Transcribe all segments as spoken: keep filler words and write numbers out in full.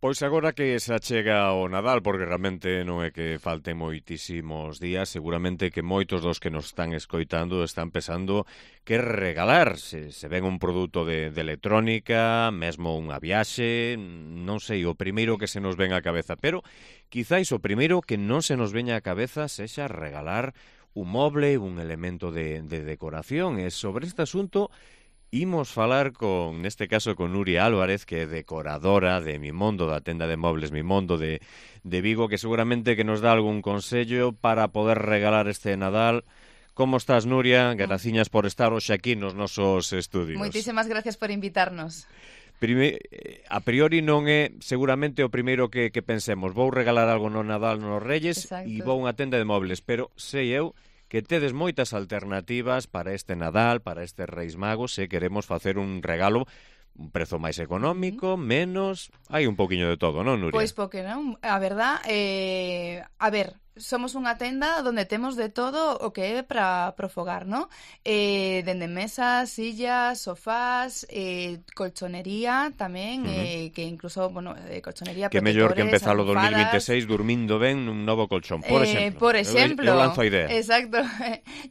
Pois agora que se achega o Nadal, porque realmente non é que falten moitísimos días, seguramente que moitos dos que nos están escoitando están pensando que regalar, se, se ven un produto de, de electrónica, mesmo unha viaxe, non sei, o primeiro que se nos ven á cabeza, pero quizáis o primeiro que non se nos veña á cabeza sexa regalar un moble, un elemento de, de decoración, e sobre este asunto imos falar con, neste caso, con Nuria Álvarez, que é decoradora de Mimondo, da tenda de mobles Mimondo de, de Vigo, que seguramente que nos dá algún consello para poder regalar este Nadal. Como estás, Nuria? Graciñas por estar hoxe aquí nos nosos estudios. Moitísimas gracias por invitarnos. Prime, a priori non é seguramente o primeiro que, que pensemos. Vou regalar algo no Nadal nos Reyes e vou a unha tenda de mobles, pero sei eu que tedes moitas alternativas para este Nadal, para este Reis Magos, se queremos facer un regalo un prezo máis económico, menos, hai un poquinho de todo, non, Nuria? Pois porque non, a verdad, eh, a ver, somos unha tenda onde temos de todo o que é para profogar, ¿no? Eh, dende mesas, sillas, sofás, eh, colchonería tamén, uh -huh. eh, que incluso, bueno, eh, colchonería, que mellor que empezar o dos mil veintiséis durmindo ben nun novo colchón, por eh, exemplo. Por exemplo. Eu, eu lanzo a idea. Exacto.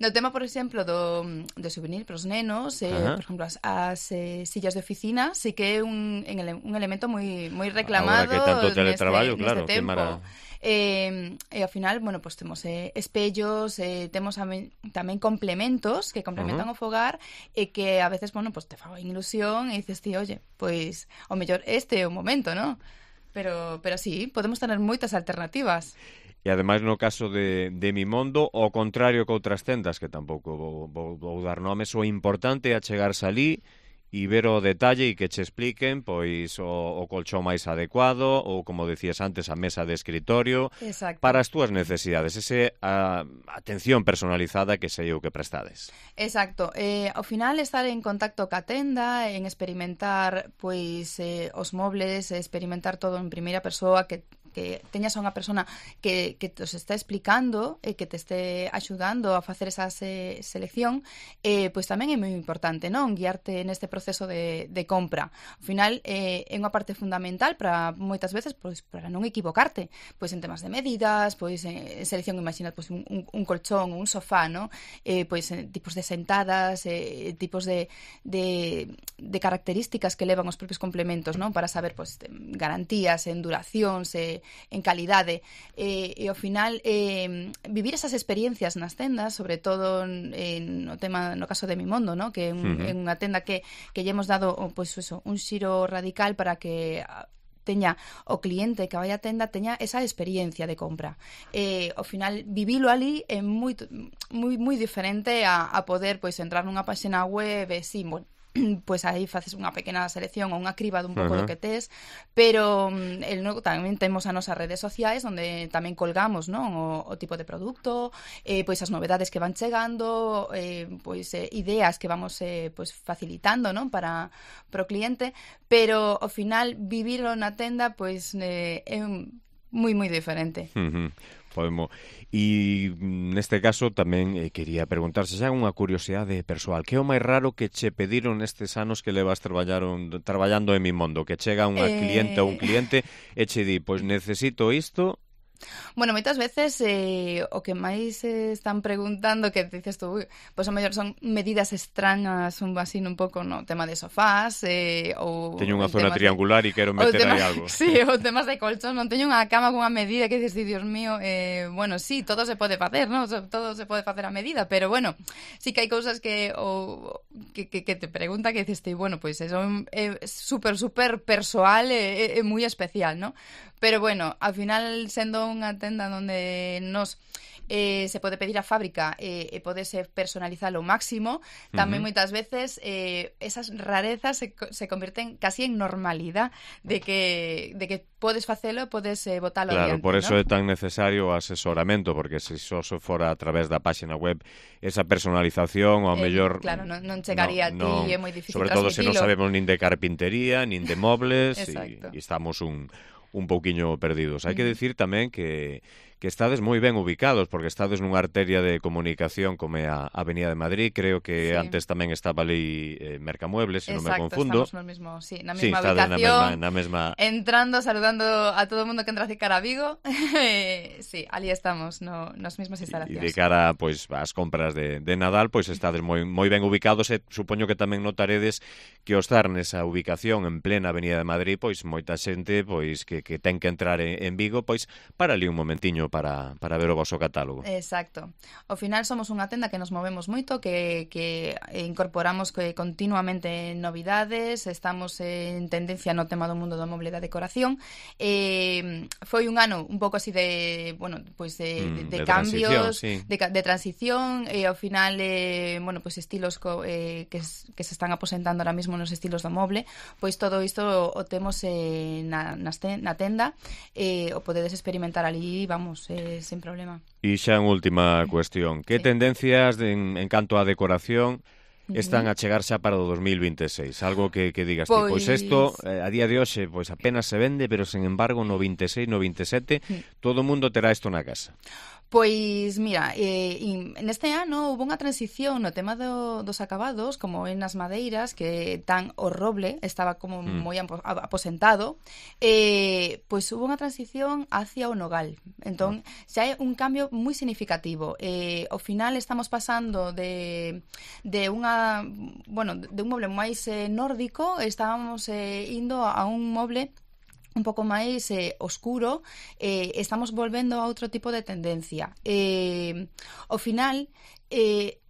No tema, por exemplo, do, do souvenir para os nenos, eh, uh -huh. por exemplo, as, as eh, sillas de oficina, sí que é un, un elemento moi moi reclamado. Agora que tanto teletraballo, neste, claro, neste tempo. Que mara... Eh, e ao final, bueno, pues temos eh, espellos, eh, temos tamén, tamén complementos que complementan uh -huh. o fogar e que a veces, bueno, pues te fan ilusión e dices, ti, oye, pois pues, o mellor este é o momento, ¿no? Pero, pero sí, podemos tener moitas alternativas. E ademais no caso de, de Mimondo, ao contrario que outras tendas, que tampouco vou, vou, vou dar nomes, o importante é chegarse ali e ver o detalle e que che expliquen pois o, o colchón máis adecuado ou, como decías antes, a mesa de escritorio. Exacto. Para as túas necesidades, ese a, atención personalizada que sei o que prestades. Exacto. Eh, ao final estar en contacto ca tenda, en experimentar pois eh, os mobles, experimentar todo en primeira persoa, que que teñas a unha persona que, que te os está explicando e que te este axudando a facer esa se, selección, eh, pois tamén é moi importante, non? Guiarte neste proceso de, de compra. Ao final eh, é unha parte fundamental para moitas veces pois para non equivocarte, pois en temas de medidas, pois en selección, imaginad, pois un, un, un colchón, un sofá, non? Eh, pois en tipos de sentadas, eh, tipos de, de, de características que levan os propios complementos, non? Para saber pois garantías en duracións, eh, en calidade, eh, e ao final eh, vivir esas experiencias nas tendas, sobre todo en, no tema, no caso de Mimondo, ¿no? Que é un, uh -huh. unha tenda que, que lle hemos dado pois eso, un xiro radical para que teña o cliente que vai á tenda teña esa experiencia de compra. Eh, ao final vivilo ali é moi moi moi diferente a, a poder pois entrar nunha páxina web e sí, bueno, pois aí faces unha pequena selección ou unha criba dun pouco uh -huh. do que tes, pero el, no, tamén temos as nosas redes sociais onde tamén colgamos, non, o, o tipo de produto, eh, pois as novedades que van chegando, eh, pois eh, ideas que vamos eh, pois facilitando, non, para pro cliente, pero ao final vivilo na tenda pois eh, é moi moi diferente. Uh -huh. Podemos. E neste caso tamén eh, quería preguntar se xa unha curiosidade persoal. Que é o máis raro que che pediron nestes anos que levas traballaron, traballando en Mimondo? Que chega unha eh... cliente ou un cliente e che di, pois necesito isto. Bueno, moitas veces eh, o que máis eh, están preguntando, que dices tú, pois o mellor son medidas extrañas, un así un pouco no tema de sofás, eh, ou teño unha zona triangular de... e quero meter tema... aí algo. Sí, ou temas de colchón, non teño unha cama con unha medida que dices, Dios mío, eh, bueno, sí, todo se pode facer, ¿no? Todo se pode facer a medida, pero bueno, sí que hai cousas que o que, que, que te pregunta que dices, bueno, pois pues eso é super super persoal e é, é moi especial, ¿no? Pero bueno, ao final sendo unha tenda onde nos eh, se pode pedir a fábrica e eh, podese personalizar ao máximo, tamén uh -huh. moitas veces eh, esas rarezas se, se convirten casi en normalidade de que de que podes facelo, podes eh, botalo claro, adiante, por eso ¿no? É tan necesario o asesoramento, porque se só so fora a través da páxina web esa personalización ao eh, mellor claro, non, non chegaría no, a ti, no, é moi difícil sobre todo se non transmitilo. sabemos nin de carpintería, nin de mobles e, e estamos un un pouquiño perdidos. Hai que decir tamén que que estades moi ben ubicados, porque estades nunha arteria de comunicación como é a Avenida de Madrid, creo que Sí. antes tamén estaba ali eh, Mercamuebles, se non me Exacto, confundo. estamos no mismo, sí, na Sí, mesma estades na ubicación, mesma, na mesma... entrando, saludando a todo o mundo que entra a cara a Vigo. Sí, ali estamos, no, nas mesmas E instalacións. de cara pois ás compras de, de Nadal, pois estades moi moi ben ubicados e supoño que tamén notaredes que ao estar nesa ubicación en plena Avenida de Madrid, pois moita xente pois que, que ten que entrar en, en Vigo, pois para ali un momentiño para, para ver o vosso catálogo. Exacto. Ao final somos unha tenda que nos movemos moito, que, que incorporamos que continuamente novidades, estamos en tendencia no tema do mundo do moble e da decoración. Eh, foi un ano un pouco así de, bueno, pois de, Mm, de, de de cambios, transición, sí. de, de transición, e ao final eh, bueno, pois estilos co, eh, que, que se están aposentando ahora mismo nos estilos do moble, pois todo isto o, o temos eh, na, nas te, na tenda, eh, o podedes experimentar ali, vamos, eh, sin problema. E xa en última cuestión, que Sí. tendencias de, en, en canto á decoración están a chegar xa para o dos mil veintiséis? Algo que, que digas Pois... ti, pois isto eh, a día de hoxe pois apenas se vende, pero sen embargo no vinte e seis, no vinte e sete, todo o mundo terá isto na casa. Pois, mira, eh, neste ano hubo unha transición no tema do, dos acabados, como en as madeiras, que tan o roble estaba como Mm. moi aposentado, eh, pois hubo unha transición hacia o nogal. Entón, xa é un cambio moi significativo. Eh, ao final estamos pasando de, de unha, bueno, de un moble máis eh, nórdico, estábamos eh, indo a un moble un pouco máis eh, oscuro, eh, estamos volvendo a outro tipo de tendencia. Eh, ao final, eh,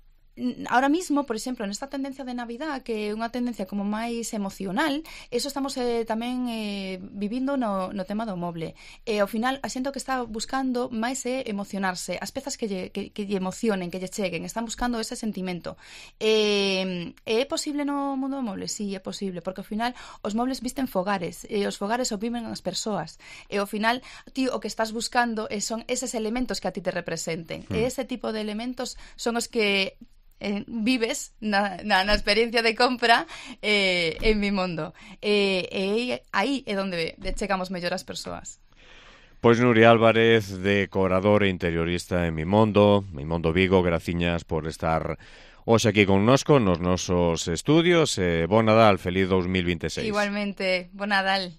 ahora mismo, por exemplo, nesta tendencia de Navidad, que é unha tendencia como máis emocional, eso estamos eh, tamén eh, vivindo no, no tema do moble. E ao final, a xente que está buscando máis é emocionarse, as pezas que lle, que, que lle emocionen, que lle cheguen, están buscando ese sentimento. E, é posible no mundo do moble? Sí, é posible, porque ao final os mobles visten fogares, e os fogares o viven as persoas, e ao final ti o que estás buscando son eses elementos que a ti te representen, Hmm. e ese tipo de elementos son os que Eh, vives na, na, na experiencia de compra eh, en Mimondo. E eh, eh, aí é onde chegamos mellor as persoas. Pois Nuria Álvarez, decoradora e interiorista en Mimondo, Mimondo Vigo, graciñas por estar hoxe aquí connosco nos nosos estudios. E bon Nadal, feliz dos mil vinte e seis. Igualmente, bon Nadal.